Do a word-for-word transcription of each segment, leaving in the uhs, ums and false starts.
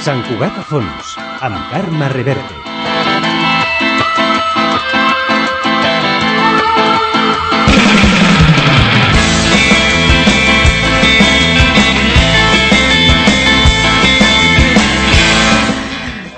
Sant Cugat a fons, amb Carme Reverte.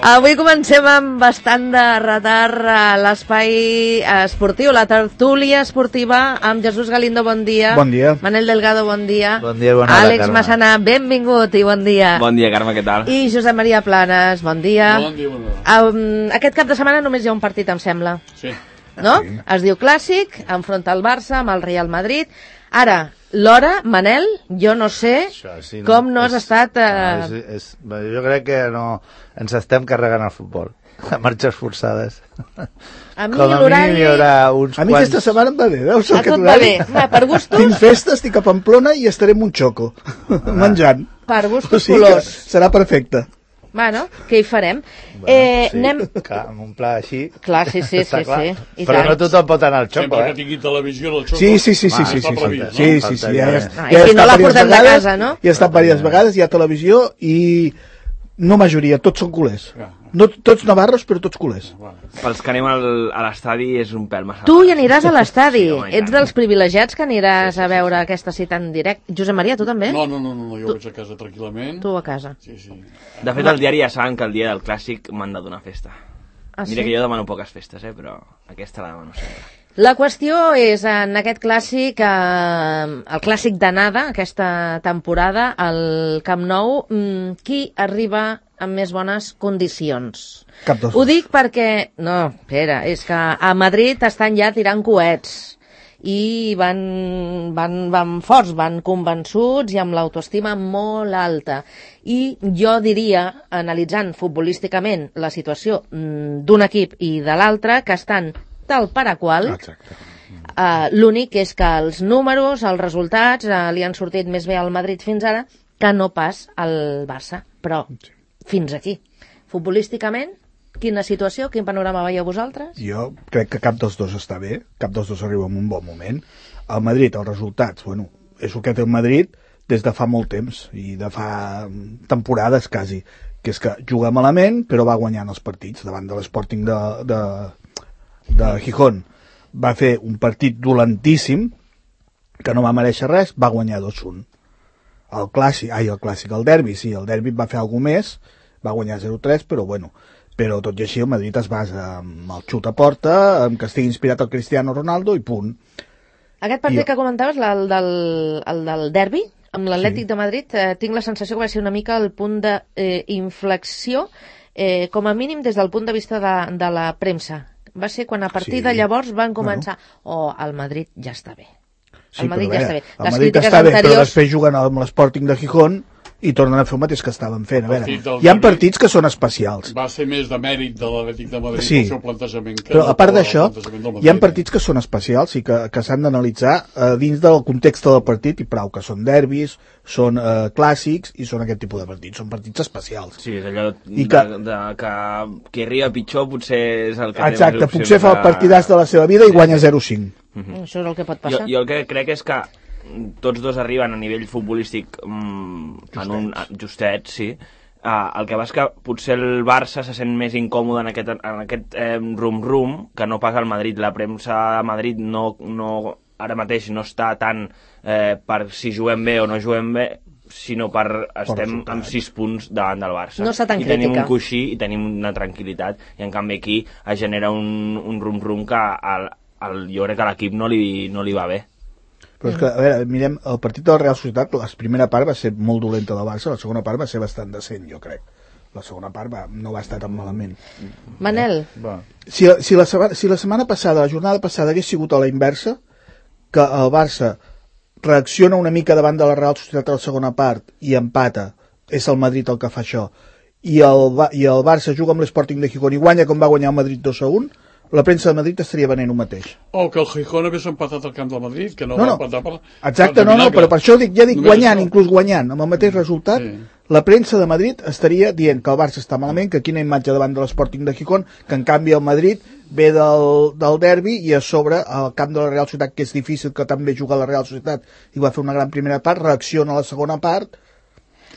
Avui comencem amb bastant de retard a l'espai esportiu, la tertúlia esportiva amb Jesús Galindo, bon dia. Bon dia. Manel Delgado, bon dia. Bon dia, bona hora, Àlex Carme. Massana, benvingut i bon dia. Bon dia, Carme, què tal? I Josep Maria Planes, bon dia. Bon dia, bona hora. Um, aquest cap de setmana només hi ha un partit, em sembla. Sí. No? Sí. Es diu Clàssic, enfronta el Barça amb el Real Madrid. Ara, l'hora, Manel, jo no sé Això, sí, no, com no has és- estat... Eh... No, és, és, bé, jo crec que no ens estem carregant el futbol a marxes forçades. A mi Com a l'horari... mínim hi haurà uns A mi quants... aquesta setmana em va bé, veus? A Aquest tot va horari? bé. Va, per gustos, Tinc festa, estic a Pamplona i estaré en un xoco, menjant. per O gustos sigui que colors. serà perfecte. Bueno, què hi farem? eh, sí, anem... clar, amb un pla així... Clar, sí, sí, està sí, clar. sí. I Però tant. no tothom pot anar al xoco, Sempre que eh? tingui televisió en el xoco. Sí, sí, sí, sí, Va, sí, està sí, previst, sí, no? sí, sí, ja, ja, No, ja i he si no estat la diverses portem de vegades, casa, no? Hi he estat diverses vegades, hi ha televisió i no majoria, tots són culers. Ah. No tots navarros, però tots culers. Pels que anem al, a l'estadi és un pèl massa. Tu hi aniràs a l'estadi. Sí, home, i Ets tant. dels privilegiats que aniràs a veure aquesta cita en directe. Josep Maria, tu també? No, no, no, no, no, jo vaig a casa tranquil·lament. Tu a casa. Sí, sí. De fet, el diari ja saben que el dia del Clàssic m'han de donar festa. Ah, sí? Mira que jo demano poques festes, eh, però aquesta la demano sempre. La qüestió és, en aquest clàssic, eh, el clàssic d'anada, aquesta temporada, al Camp Nou, mm, qui arriba amb més bones condicions? Cap dos. Ho dic perquè... No, espera, és que a Madrid estan ja tirant coets i van, van, van forts, van convençuts i amb l'autoestima molt alta. I jo diria, analitzant futbolísticament la situació mm, d'un equip i de l'altre, que estan tal per a qual. Exacte. Uh, l'únic és que els números, els resultats, uh, li han sortit més bé al Madrid fins ara que no pas al Barça. Però fins aquí. Futbolísticament, quina situació, quin panorama veieu vosaltres? Jo crec que cap dels dos està bé, cap dels dos arriba en un bon moment. El Madrid, els resultats, bueno, és el que té el Madrid des de fa molt temps, i de fa temporades quasi, que és que juga malament però va guanyant els partits davant de l'Sporting de, de, de Gijón. Va fer un partit dolentíssim que no va mereixer res, va guanyar dos a un. El clàssic, ai, el clàssic, el derbi, sí, el derbi va fer alguna més, va guanyar zero a tres, però bueno, però tot i així el Madrid es basa amb el xut a porta, amb que estigui inspirat el Cristiano Ronaldo i punt. Aquest partit Jo- que comentaves, la- el del, el del derbi, amb l'Atlètic Sí. de Madrid, eh, tinc la sensació que va ser una mica el punt d'inflexió, eh, com a mínim des del punt de vista de, de la premsa. Va ser quan a partir Sí. de llavors van començar, oh, el Madrid ja està bé. Sí, El Madrid però, ja a està veure, bé. El Les Madrid crítiques està bé, però anteriors... després juguen amb l'Sporting de Gijón i tornen a fer el mateix que estaven fent. A veure, Partit del hi ha Madrid. partits que són especials. Va ser més de mèrit de l'Atlètic de Madrid Sí. el seu plantejament que Però a part el d'això, plantejament del hi ha Madrid. partits que són especials i que, que s'han d'analitzar eh, dins del context del partit i prou, que són derbis, són eh, clàssics i són aquest tipus de partits, són partits especials. Sí, és allò I de, que- de, que qui arriba pitjor potser és el que Exacte, té més potser opcions fa el partidàs de la seva vida i guanya zero a cinc. Mm, Això és el que pot Jo, passar. jo el que crec és que tots dos arriben a nivell futbolístic mm, en un justet, sí. Uh, el que va és que potser el Barça se sent més incòmode en aquest, en aquest eh, rum-rum que no pas al Madrid. La premsa a Madrid no, no, ara mateix no està tant eh, per si juguem bé o no juguem bé, sinó per estem resultat. amb sis punts davant del Barça. No està tan I tenim crítica. un coixí i tenim una tranquil·litat. I en canvi aquí es genera un, un rum-rum que al, al, jo crec que a l'equip no li, no li va bé. Però és que, a veure, mirem, el partit de la Real Societat, la primera part va ser molt dolenta del Barça, la segona part va ser bastant decent, jo crec. La segona part va, no va estar tan malament. Manel, Va. Si, si, la setmana, si la setmana passada, la jornada passada, hagués sigut a la inversa, que el Barça reacciona una mica davant de la Real Societat a la segona part i empata, és el Madrid el que fa això, i el, Ba- i el Barça juga amb l'Sporting de Gijón i guanya com va guanyar el Madrid dos a un, la premsa de Madrid estaria venent un mateix. O que el Gijón hagués empatat al camp del Madrid, que no, No, no. va empatar per... Exacte, per no, no, vinagre. però per això dic, ja dic Només guanyant, això. inclús guanyant, amb el mateix resultat, Sí. la premsa de Madrid estaria dient que el Barça està malament, que quina imatge davant de l'Sporting de Gijón, que en canvi el Madrid ve del, del derbi i a sobre al camp de la Real Societat, que és difícil que també juga a la Real Societat i va fer una gran primera part, reacciona a la segona part,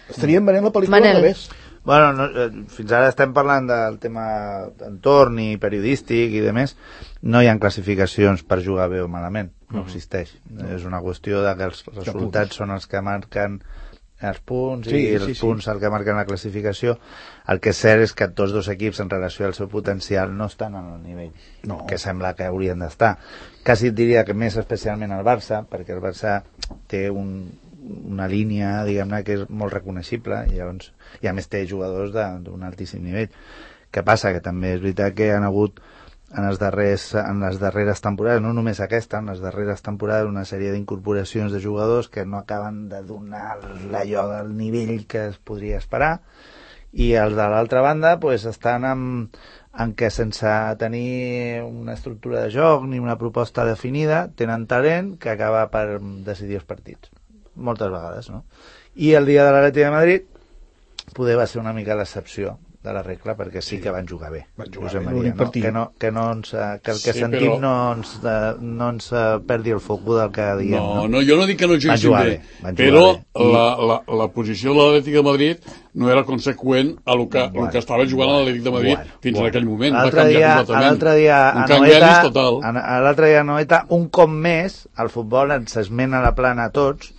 estarien venent la pel·lícula Manel. al revés. Bueno, no, eh, fins ara estem parlant del tema entorn i periodístic i de més. No hi ha classificacions per jugar bé o malament, no existeix. No. És una qüestió de que els resultats són els que marquen els punts, sí, i els sí, punts sí. el que marquen la classificació. El que és cert és que tots dos equips en relació al seu potencial no estan en el nivell no. que sembla que haurien d'estar. Quasi et diria que més especialment el Barça, perquè el Barça té un, una línia, diguem-ne, que és molt reconeixible i, llavors, i a més té jugadors d'un altíssim nivell. Què passa? Que també és veritat que han hagut en, els darrers, en les darreres temporades, no només aquesta, en les darreres temporades una sèrie d'incorporacions de jugadors que no acaben de donar allò del nivell que es podria esperar, i els de l'altra banda pues, estan en, en què sense tenir una estructura de joc ni una proposta definida tenen talent que acaba per decidir els partits moltes vegades, no? I el dia de l'Atlètic de Madrid poder va ser una mica l'excepció de la regla, perquè sí, sí que van jugar bé. Van jugar bé, Maria, no? Que, no, que, no ens, que el que sí, sentim però... no ens, no ens perdi el foc del que diem. No, no, no, jo no dic que no juguessin bé, bé però bé. La, la, la posició de l'Atlètic de Madrid no era conseqüent a lo que, bueno, que estava jugant bueno, l'Atlètic de Madrid bueno, fins bueno. en aquell moment. L'altre dia, l'altre dia, a Noeta, l'altre dia a Noeta, un cop més, el futbol ens esmena la plana a tots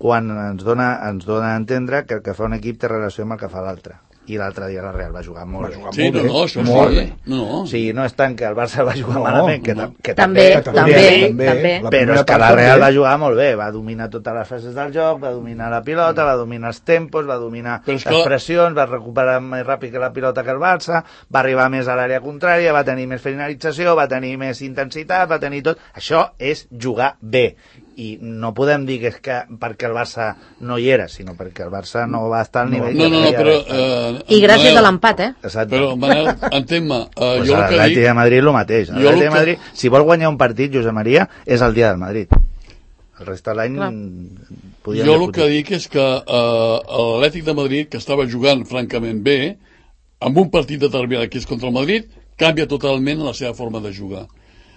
quan ens dona, ens dona a entendre que el que fa un equip té relació amb el que fa l'altre. I l'altre dia la Real va jugar molt bé. Sí, no, no, això molt sí. bé. No, no. O sigui, no és tant que el Barça va jugar no, malament, que, no. que també, també, també, també, també. Però és que la Real va jugar molt bé, va dominar totes les fases del joc, va dominar la pilota, va dominar els tempos, va dominar les que... pressions, va recuperar més ràpid que la pilota que el Barça, va arribar més a l'àrea contrària, va tenir més finalització, va tenir més intensitat, va tenir tot. Això és jugar bé. I no podem dir que és que perquè el Barça no hi era, sinó perquè el Barça no va estar al nivell no, no, no, però, eh, I gràcies Manel, a l'empat, eh? Exacte. Però, Manel, entén-me uh, pues jo el que dic... de Madrid el mateix. El de Madrid, que... si vol guanyar un partit, Josep Maria, és el dia del Madrid. El resta de l'any podíem jo el que dic és que uh, l'Atlètic de Madrid, que estava jugant francament bé, amb un partit determinat que és contra el Madrid, canvia totalment la seva forma de jugar.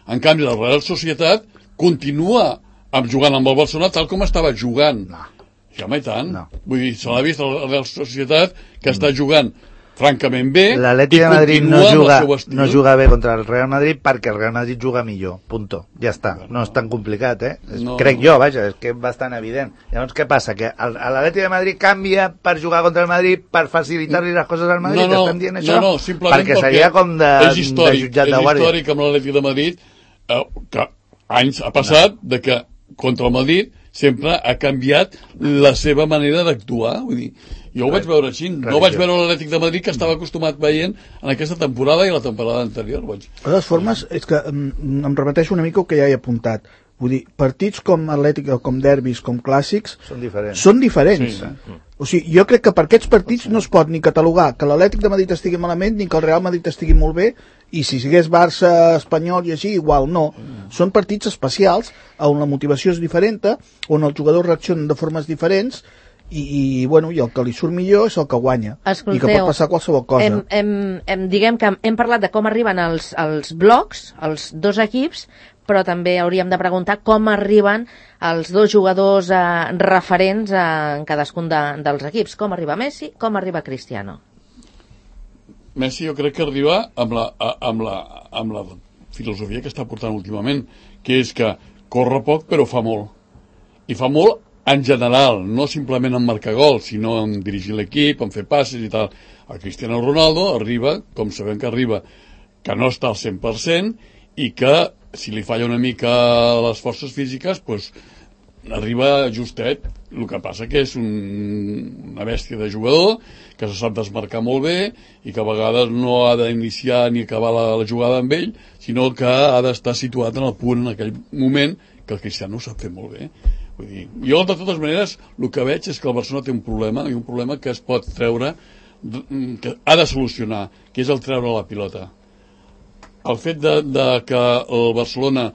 En canvi, la Real Societat continua amb jugant amb el Barcelona tal com estava jugant. No. Ja mai tant. No. Vull dir, se l'ha vist a la Real Societat que mm. està jugant francament bé. L'Atlètic de Madrid no juga, no juga bé contra el Real Madrid perquè el Real Madrid juga millor. Punto. Ja està. No és tan complicat, eh? No, Crec no. jo, vaja, és que és bastant evident. Llavors, què passa? Que l'Atlètic de Madrid canvia per jugar contra el Madrid per facilitar-li les coses al Madrid? No, no, Estem dient això? No, no, simplement perquè seria com de, és històric, de jutjat de guàrdia. És històric amb l'Atlètic de Madrid eh, que anys ha passat no. de que contra el Madrid sempre ha canviat la seva manera d'actuar. Vull dir, jo ho vaig veure així. No vaig veure l'Atlètic de Madrid que estava acostumat veient en aquesta temporada i la temporada anterior. Vaig. De totes formes, és que em, em repeteixo una mica el que ja he apuntat. Vull dir, partits com Atlètic, com derbis, com clàssics... Són diferents. Són diferents. Sí. O sigui, jo crec que per aquests partits no es pot ni catalogar que l'Atlètic de Madrid estigui malament ni que el Real Madrid estigui molt bé, i si sigués Barça, Espanyol i així, igual no. Mm. Són partits especials on la motivació és diferent, on els jugadors reaccionen de formes diferents i, i, bueno, i el que li surt millor és el que guanya. Escolteu, i que pot passar qualsevol cosa. Hem, hem, hem, diguem que hem parlat de com arriben els, els blocs, els dos equips, però també hauríem de preguntar com arriben els dos jugadors eh, referents eh, en cadascun de, dels equips. Com arriba Messi, com arriba Cristiano? Messi jo crec que arriba amb la, amb la, amb la filosofia que està portant últimament, que és que corre poc però fa molt. I fa molt en general, no simplement en marcar gols, sinó en dirigir l'equip, en fer passes i tal. El Cristiano Ronaldo arriba, com sabem que arriba, que no està al cent per cent i que si li falla una mica les forces físiques, doncs arriba justet. El que passa que és un, una bèstia de jugador que se sap desmarcar molt bé i que a vegades no ha d'iniciar ni acabar la, la jugada amb ell, sinó que ha d'estar situat en el punt en aquell moment que el Cristiano ho sap fer molt bé. Vull dir, jo de totes maneres el que veig és que el Barcelona té un problema, i un problema que es pot treure, que ha de solucionar, que és el treure la pilota. El fet de, de que el Barcelona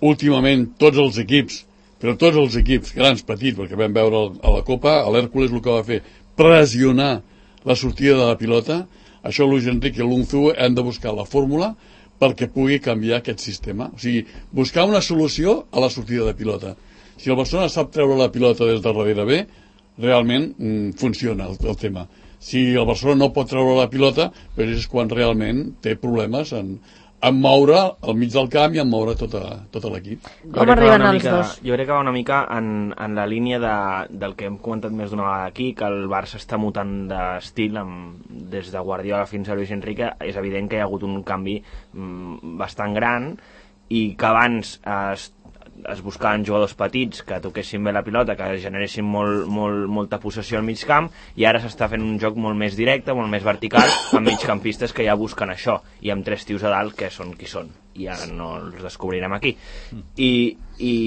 últimament tots els equips, però tots els equips, grans, petits, perquè vam veure a la Copa, a l'Hèrcules el que va fer, pressionar la sortida de la pilota, això Luis Enrique i l'Unzu han de buscar la fórmula perquè pugui canviar aquest sistema. O sigui, buscar una solució a la sortida de pilota. Si el Barcelona sap treure la pilota des de darrere bé, realment mm, funciona el, el tema. si el Barcelona no pot treure la pilota, però és quan realment té problemes en, en moure al mig del camp i en moure tota, tot l'equip. Com arriben els mica, dos? Jo crec que va una mica en, en la línia de, del que hem comentat més d'una vegada aquí, que el Barça està mutant d'estil amb, des de Guardiola fins a Luis Enrique. És evident que hi ha hagut un canvi mm, bastant gran i que abans es es buscaven jugadors petits que toquessin bé la pilota, que generessin molt, molt, molta possessió al mig camp, i ara s'està fent un joc molt més directe, molt més vertical, amb migcampistes que ja busquen això, i amb tres tios a dalt que són qui són, i ara no els descobrirem aquí. I, i,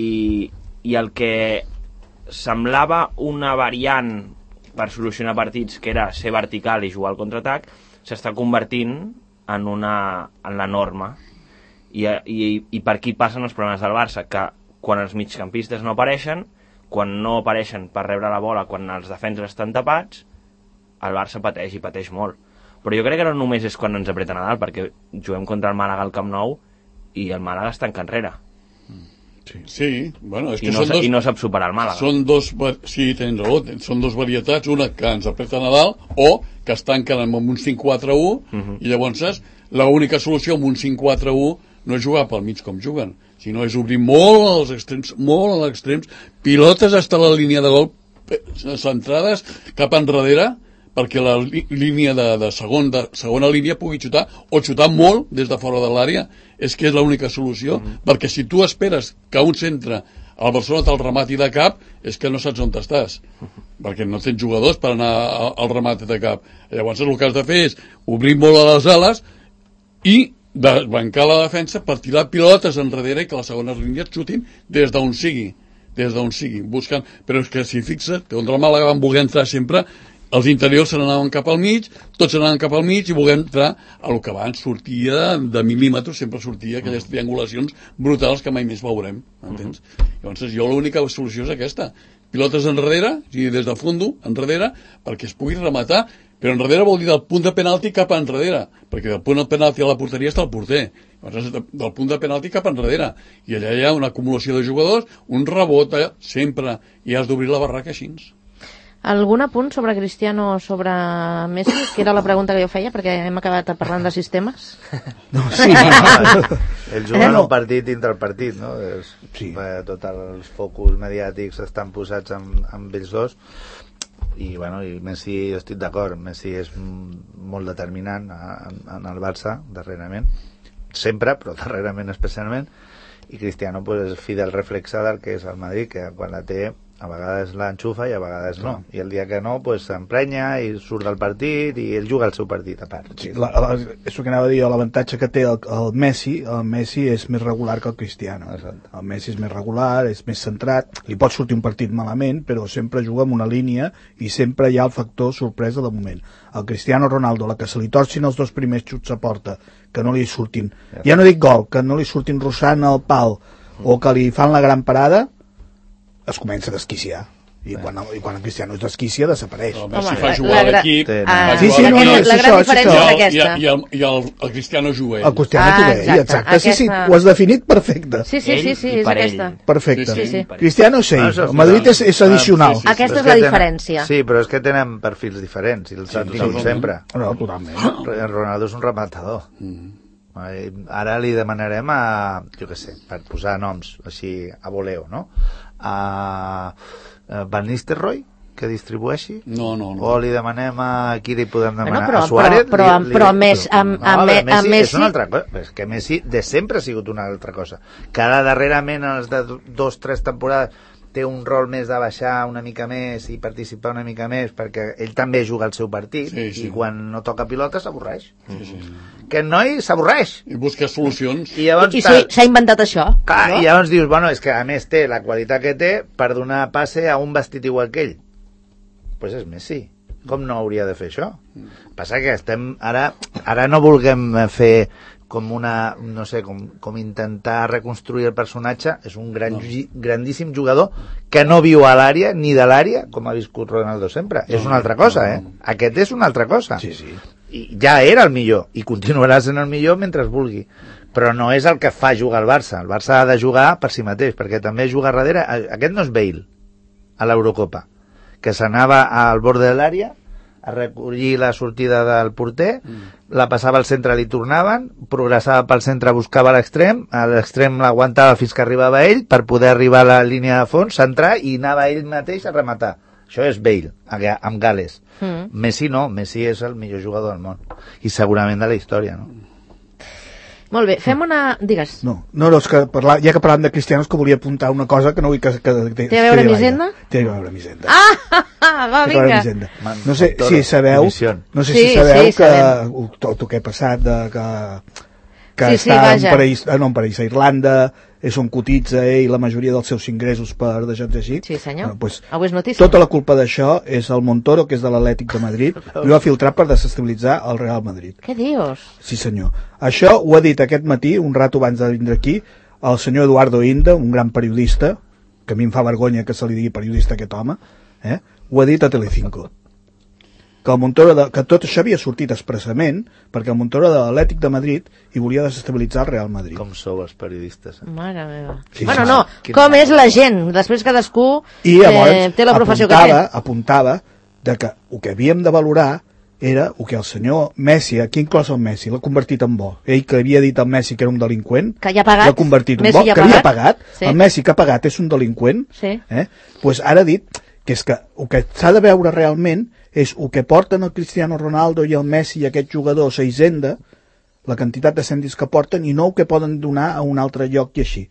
i el que semblava una variant per solucionar partits, que era ser vertical i jugar al contraatac, s'està convertint en, una, en la norma. I, i, i per aquí passen els problemes del Barça, que quan els migcampistes no apareixen, quan no apareixen per rebre la bola, quan els defenses estan tapats, el Barça pateix i pateix molt. Però jo crec que no només és quan ens apreten a dalt, perquè juguem contra el Màlaga al Camp Nou i el Màlaga està en enrere. Sí, sí, bueno, és que I no, són dos, i no sap superar el Màlaga. Són dos, sí, tens raó, són dos varietats, una que ens apreten a dalt o que es tanquen amb un cinc quatre u, uh-huh. I llavors l'única solució amb un cinc quatre u no és jugar pel mig com juguen, sinó és obrir molt als extrems, molt als extrems, pilotes fins a la línia de gol centrades cap enrere, perquè la línia de, de, segon, de segona línia pugui xutar, o xutar molt des de fora de l'àrea, és que és l'única solució, mm-hmm. perquè si tu esperes que un centre al Barcelona te'l remati de cap, és que no saps on estàs, mm-hmm. perquè no tens jugadors per anar al remate de cap. Llavors el que has de fer és obrir molt a les ales i de bancar la defensa per tirar pilotes enrere i que les segones línies xutin des d'on sigui, des d'on sigui, buscant... Però és que si fixes, que contra el Màlaga van voler entrar sempre, els interiors se n'anaven cap al mig, tots se n'anaven cap al mig i voler entrar a lo que abans sortia de mil·límetres, sempre sortia aquelles triangulacions brutals que mai més veurem, entens? Llavors jo l'única solució és aquesta, pilotes enrere, o sigui, des de fondo, enrere, perquè es pugui rematar. Però enrere vol dir del punt de penalti cap enrere, perquè del punt de penalti a la porteria està el porter. Llavors, del punt de penalti cap enrere. I allà hi ha una acumulació de jugadors, un rebot allà, sempre, i has d'obrir la barraca així. Algun apunt sobre Cristiano o sobre Messi? Que era la pregunta que jo feia, perquè hem acabat parlant de sistemes. No, sí. Ells juguen eh, no. un partit dintre el partit, no? És, sí. eh, tots els focus mediàtics estan posats amb, amb ells dos. I, bueno, i Messi, jo estic d'acord, Messi és molt determinant en, en el Barça, darrerament, sempre, però darrerament especialment, i Cristiano pues, és fidel reflexe del que és el Madrid, que quan la té a vegades l'enxufa i a vegades no, i el dia que no pues, s'emprenya i surt del partit i ell juga el seu partit a part. Sí, la, la, és el que anava a dir, l'avantatge que té el, el Messi, el Messi és més regular que el Cristiano. Exacte. El Messi és més regular, és més centrat, li pot sortir un partit malament, però sempre juga en una línia i sempre hi ha el factor sorpresa de moment. El Cristiano Ronaldo, la que se li torcin els dos primers xuts a porta, que no li surtin, ja no dic gol, que no li surtin rossant al pal, o que li fan la gran parada, es comença a desquiciar. I quan, i quan el Cristiano es desquicia, desapareix. No, Messi fa jugar a l'equip. Ah, sí, sí, no, no, és la gran això, diferència és aquesta. I, el, i el, el Cristiano juga ell. El Cristiano ah, juga ell, exacte. exacte. Sí, sí, ho has definit perfecte. Sí, sí, sí, sí, és aquesta. Perfecte. Sí, sí. Cristiano sí, el Madrid és, és addicional. Sí, sí, sí. Aquesta és la diferència. Sí, però és que tenen perfils diferents, i els han tingut sempre. No, totalment. Ronaldo és un rematador. Mm. Ara li demanarem a, jo què sé, per posar noms així a voleo, no? A Van Nistelrooy, que distribueixi? No, no, no. O li demanem a qui li podem demanar? Bueno, però, a Suárez? Però, però, però a més, a, no, a, a, a, a Messi... És una altra cosa. És que Messi de sempre ha sigut una altra cosa. Cada darrerament, els de dos, tres temporades, té un rol més de baixar una mica més i participar una mica més, perquè ell també juga el seu partit, sí, sí. I quan no toca pilota s'avorreix. Sí, sí. Que el noi s'avorreix. I busca solucions. I, I s'ha inventat això. Clar, no? I llavors dius, bueno, és que a més té la qualitat que té per donar passe a un vestit igual que ell. Doncs pues és Messi. Com no hauria de fer això? Passa que estem... Ara, ara no vulguem fer com una, no sé, com, com intentar reconstruir el personatge. És un gran, no. grandíssim jugador que no viu a l'àrea, ni de l'àrea, com ha viscut Ronaldo sempre. No, és una altra cosa, no, no, no. eh? Aquest és una altra cosa. Sí, sí. I ja era el millor, i continuarà sent el millor mentre es vulgui. Però no és el que fa jugar el Barça. El Barça ha de jugar per si mateix, perquè també juga darrere... Aquest no és Bale, a l'Eurocopa, que s'anava al bord de l'àrea a recollir la sortida del porter, mm. la passava al centre, li tornaven, progressava pel centre, buscava l'extrem, a l'extrem l'aguantava fins que arribava ell, per poder arribar a la línia de fons, centrar, i anava ell mateix a rematar. Això és Bale, amb Gales. Mm. Messi no, Messi és el millor jugador del món, i segurament de la història, no? Molt bé, fem una... Digues. No, no, no és que parlar, ja que parlàvem de Cristiano és que volia apuntar una cosa que no vull que... que, que Té a veure amb Hisenda? Té a veure amb Hisenda. Ah, va, vinga. No sé si sabeu, no sé si sí, sabeu sí, que tot el que ha passat de que, que sí, està sí, en paraís, no, en paraís a Irlanda, és on cotitza ell la majoria dels seus ingressos per deixar-nos així. Sí, senyor. Bueno, pues, avui és notícia. Tota la culpa d'això és el Montoro, que és de l'Atlètic de Madrid, i ho ha filtrat per desestabilitzar el Real Madrid. Què dius? Sí, senyor. Això ho ha dit aquest matí, un rato abans de vindre aquí, el senyor Eduardo Inda, un gran periodista, que a mi em fa vergonya que se li digui periodista a aquest home, eh? Ho ha dit a Telecinco. Que, el Montoro de, que tot això havia sortit expressament perquè el Montoro de l'Atlètic de Madrid hi volia desestabilitzar el Real Madrid. Com sou els periodistes? Eh? Mare meva. Sí, bueno, sí, no, sí. com és la gent. Després cadascú I llavors, eh, té la professió apuntava, que té. apuntava de que el que havíem de valorar era el que el senyor Messi, aquí inclòs el Messi, l'ha convertit en bo. Ell que havia dit al Messi que era un delinqüent, que ja ha pagat, l'ha convertit en Messi bo, ja que pagat. havia pagat, Sí. el Messi que ha pagat és un delinqüent, Sí. eh? Pues ara ha dit que és que el que s'ha de veure realment és el que porten el Cristiano Ronaldo i el Messi i aquest jugador a Hisenda, la quantitat de cèntims que porten, i no el que poden donar a un altre lloc i així.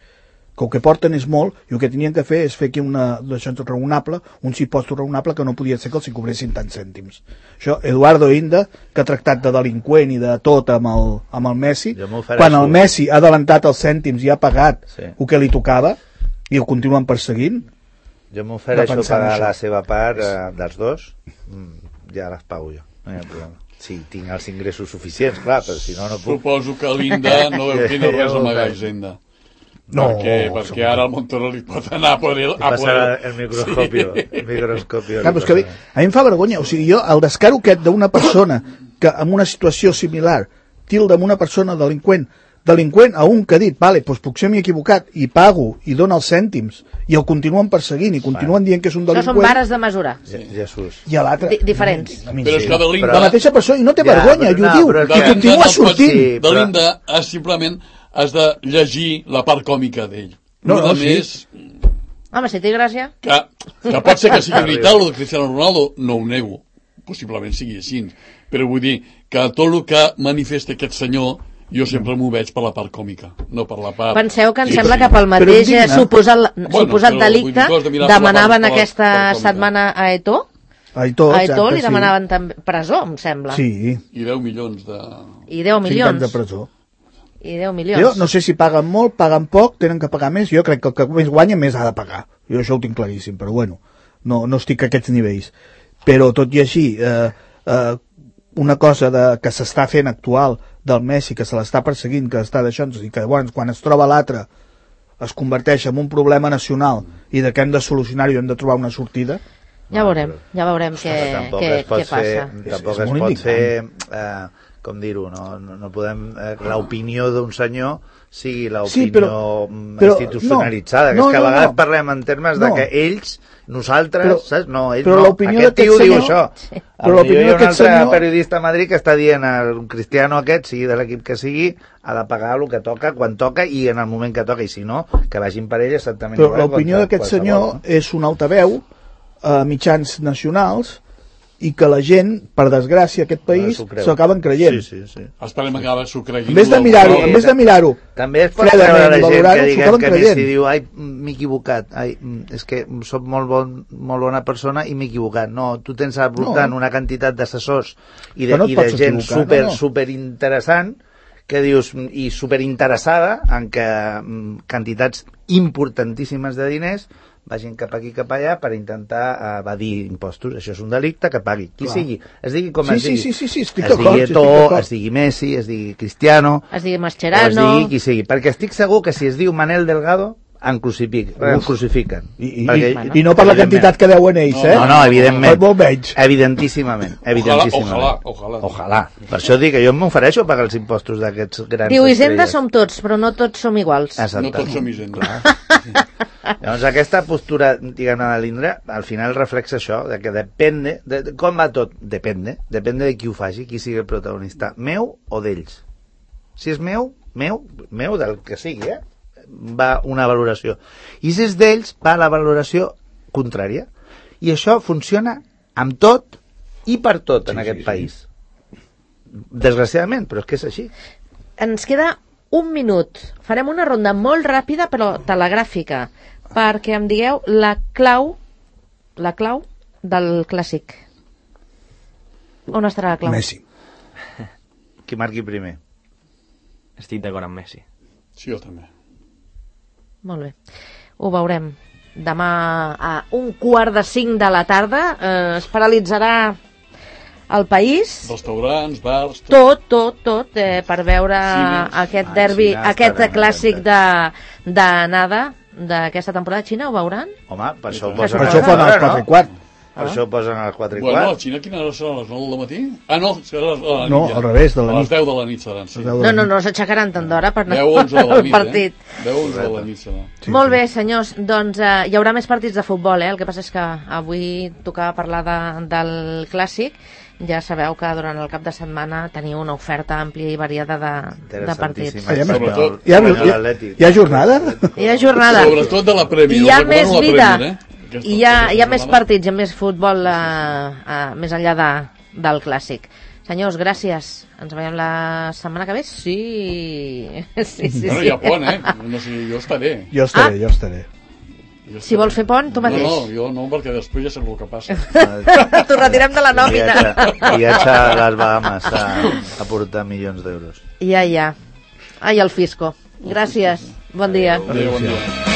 Que el que porten és molt, i el que tenien que fer és fer aquí una d'això raonable, un impost raonable que no podia ser que els hi cobressin tants cèntims. Això, Eduardo Inda, que ha tractat de delinqüent i de tot amb el, amb el Messi, quan el Messi ha adelantat els cèntims i ha pagat sí. el que li tocava, i ho continuen perseguint, jo m'ofereixo pagar la seva part eh, dels dos, ja les pago jo, no hi ha problema. Si tinc els ingressos suficients, clar, però si no, no puc. Suposo que l'Inda no deu tenir res a amagar, Hisenda. No, perquè, perquè ara el Montoro li pot anar a por el... A por el, el microscopio. Sí. El microscopio clar, que, a mi em fa vergonya, o sigui, jo, el descaro aquest d'una persona que en una situació similar tilda amb una persona delinqüent, delinqüent a un que ha dit, vale, doncs potser m'he equivocat i pago i dona els cèntims i el continuen perseguint i continuen dient que és un delinqüent. Això són vares de mesurar. Sí. Jesús. I a l'altre... Di diferents. Però és que de l'Inda... La mateixa persona, i no té ja, vergonya, i ho no, diu, i continua sortint. Sí, de l'Inda has, simplement has de llegir la part còmica d'ell. No, no, sí. Més... Home, si té gràcia... Que, que pot ser que sigui veritat, el de Cristiano Ronaldo, no ho nego. Possiblement sigui així. Però vull dir que tot el que manifesta aquest senyor jo sempre m'ho veig per la part còmica, no per la part... Penseu que em sí, sembla sí. que pel mateix digna. suposat, bueno, suposat delicte de demanaven part, aquesta part setmana a Eto'o. A Eto'o, a Eto'o li sí. demanaven també presó, em sembla. Sí. I deu milions de... I deu milions. cinc anys de presó. I deu milions. Jo no sé si paguen molt, paguen poc, tenen que pagar més. Jo crec que el que més guanya més ha de pagar. Jo això ho tinc claríssim, però bueno, no, no estic a aquests nivells. Però tot i així, eh, eh, una cosa de, que s'està fent actual del Messi, que se l'està perseguint, que està deixant, i que llavors, quan es troba l'altre es converteix en un problema nacional i de que hem de solucionar-ho i hem de trobar una sortida. Ja veurem, ja veurem què, què, què passa. Fer, tampoc es, es pot indignant. fer, eh, com dir-ho, no, no, no podem... Eh, l'opinió d'un senyor sigui l'opinió sí, però, però, institucionalitzada, no, que és que no, a vegades no, parlem en termes no. de que ells, nosaltres, però, saps? No, ells però no, aquest tio senyor, diu això. sí. Però l'opinió d'un altre senyor... periodista a Madrid que està dient al Cristiano aquest, sigui de l'equip que sigui, ha de pagar el que toca, quan toca i en el moment que toca, i si no, que vagin per ell exactament però igual. Però l'opinió d'aquest senyor no? és un altaveu a mitjans nacionals i que la gent, per desgràcia, aquest país s'ho acaben creient. Sí, sí, sí. Esperem que se s'ho creguin. En vez de mirar-ho, en vez de mirar-ho, també es pot veure la gent que diguem que Messi diu, ai, m'he equivocat, ai, és que soc molt, bon, molt bona persona i m'he equivocat. No, tu tens al voltant no. una quantitat d'assessors i de, no i de gent super, no, no. super interessant que dius, i superinteressada en que quantitats importantíssimes de diners vagin cap aquí cap allà per intentar evadir impostos. Això és un delicte, que pagui qui Clar. sigui, es digui com sí, es digui, sí, sí, sí, sí, es digui Eto'o, es digui Messi, es digui Cristiano, es digui Mascherano, es digui qui sigui, perquè estic segur que si es diu Manel Delgado en crucific, en crucifiquen. I, i, Perquè, i, I no per la quantitat que deuen ells, eh? No, no, evidentment. Molt menys. Evidentíssimament. evidentíssimament. Ojalà, ojalà. Ojalà. Per això dic que jo m'ofereixo a pagar els impostos d'aquests grans Diu, Hisenda estrelles. som tots, però no tots som iguals. Exacte. No tots som Hisenda. Llavors aquesta postura, diguem-ne, de l'Indra, al final reflexa això, de que depende, de, de, com va tot? Depende, depende de qui ho faci, qui sigui el protagonista, meu o d'ells. Si és meu, meu, meu del que sigui, eh? Va una valoració. I si és d'ells, va la valoració contrària. I això funciona amb tot i per tot en sí, aquest sí, país. Sí. Desgraciadament, però és que és així. Ens queda un minut. Farem una ronda molt ràpida, però telegràfica, perquè em digueu la clau, la clau del clàssic. On estarà la clau? Messi. Qui marqui primer. Estic d'acord amb Messi. Sí, jo també. Molt bé. Ho veurem. Demà a un quart de cinc de la tarda eh, es paralitzarà el país. Restaurants, bars... Tot, tot, tot, eh, per veure Cines. aquest Ah, derbi, Xina aquest està ben clàssic atenta. de, de nada d'aquesta temporada. Xina ho veuran? Home, per això ho Per posen Per a això les fan els quatre, quatre i no? quart. Per això ho posen a les quatre i Bueno, a quart. Xina quina hora serà? A les nou del matí? Ah, no, serà a les- a la nit No, ja. al revés, de la A les nit. deu de la nit seran, sí. A les deu de No, la no, nit. no s'aixecaran tant d'hora per anar deu onze de la al nit, partit. eh? deu onze de la nit serà. Sí, Molt sí. bé, senyors, doncs eh, hi haurà més partits de futbol, eh? El que passa és que avui tocava parlar de, del clàssic. Ja sabeu que durant el cap de setmana teniu una oferta àmplia i variada de, de partits. Interessantíssima. Ah, ja m'he- Sobretot- Hi ha, Guanya hi, ha, l'Atlètic. hi ha jornada? Hi ha jornada. Sobretot de la Premier. I hi ha us recomano més la vida. Premier, eh? Aquesta- I hi ha, hi ha aquesta més jornada. partits, hi ha més futbol eh, eh, més enllà de, del clàssic. Senyors, gràcies. Ens veiem la setmana que ve? Sí. Sí, sí, Bueno, sí. hi ha pont, eh? No sé, jo estaré. Jo estaré, jo estaré. Jo Si vols fer pont, tu mateix. No, no, jo no, perquè després ja sé el que passa. T'ho retirem de la nòmina. Viatge, viatge a les Bahamas a, a portar milions d'euros. Ja, ja. Ai, el fisco. Gràcies. Bon dia. Adéu, bon dia.